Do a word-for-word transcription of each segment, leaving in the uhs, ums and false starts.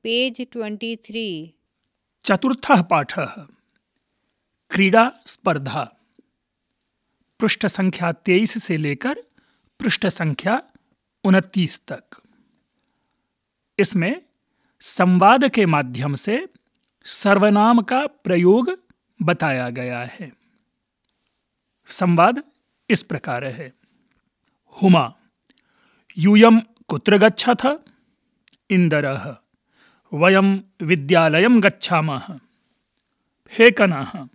Page twenty three. चतुर्थः पाठः क्रीड़ा स्पर्धा। पृष्ठ संख्या तेईस से लेकर पृष्ठ संख्या उनतीस तक। इसमें संवाद के माध्यम से सर्वनाम का प्रयोग बताया गया है। संवाद इस प्रकार है। हुमा यूयं कुत्र गच्छथ? इंदरः वयं विद्यालयं गच्छामः। फेकनः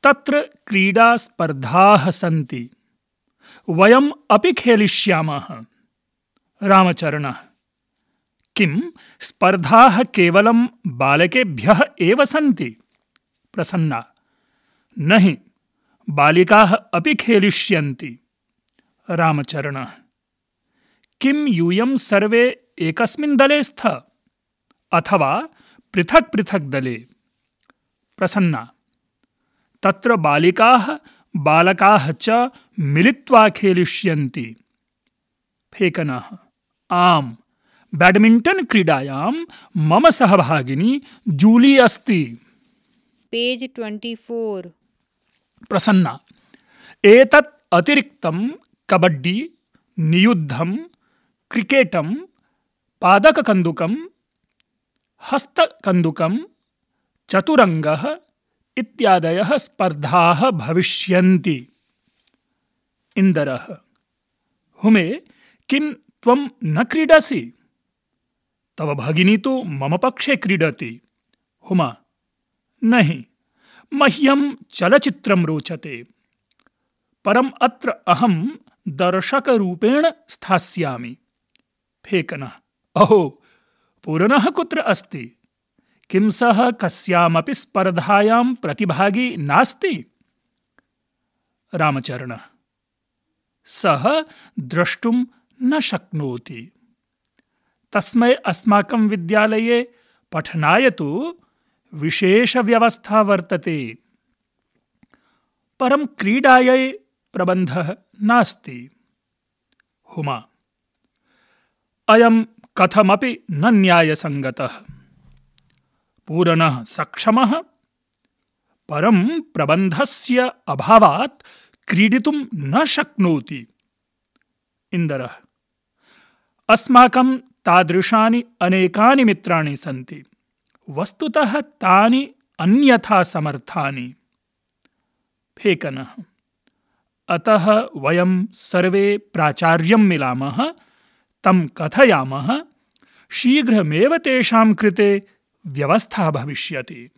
तत्र क्रीडा स्पर्धाः सन्ति, वयम् अपि खेलिष्यामः। रामचरणः किं स्पर्धाः केवलं बालकेभ्यः एव सन्ति? प्रसन्ना नहि, बालिकाः अपि खेलिष्यन्ति। रामचरणः किं यूयं सर्वे एकस्मिन् दले स्तः अथवा पृथक् पृथक् दले? प्रसन्ना तत्र बालिकाः बालकाः च मिलित्वा खेलिष्यन्ति। फेकनः आम्, बैडमिण्टन् क्रीडायां मम सहभागिनी जूली अस्ति। Page twenty for. प्रसन्ना एतत् अतिरिक्तं कबड्डी, नियुद्धं, क्रिकेटं, पादककन्दुकं, हस्तकन्दुकं, चतुरङ्गः इत्यादयः स्पर्धाः भविष्यन्ति। इन्दरः हुमे किं त्वं न क्रीडसि? तव भगिनी तु मम पक्षे क्रीडति। हुमा नहि, मह्यं चलचित्रं रोचते, परम् अत्र अहं दर्शकरूपेण स्थास्यामि। फेकनः अहो, पूर्णः कुत्र अस्ति? किं सः कस्यामपि स्पर्धायां प्रतिभागी नास्ति? रामचरणः सः द्रष्टुं न शक्नोति, तस्मै अस्माकं विद्यालये पठनाय तु विशेषव्यवस्था वर्तते, परं क्रीडायै प्रबन्धः नास्ति। हुमा अयं कथमपि न न्यायसङ्गतः। पूर्णः सक्षमः, परं प्रबन्धस्य अभावात् क्रीडितुं न शक्नोति। इन्दरः अस्माकं तादृशानि अनेकानि मित्राणि सन्ति, वस्तुतः तानि अन्यथा समर्थानि। फेकनः अतः वयं सर्वे प्राचार्यं मिलामः, तं कथयामः, शीघ्रमेव तेषां कृते व्यवस्था भविष्यति।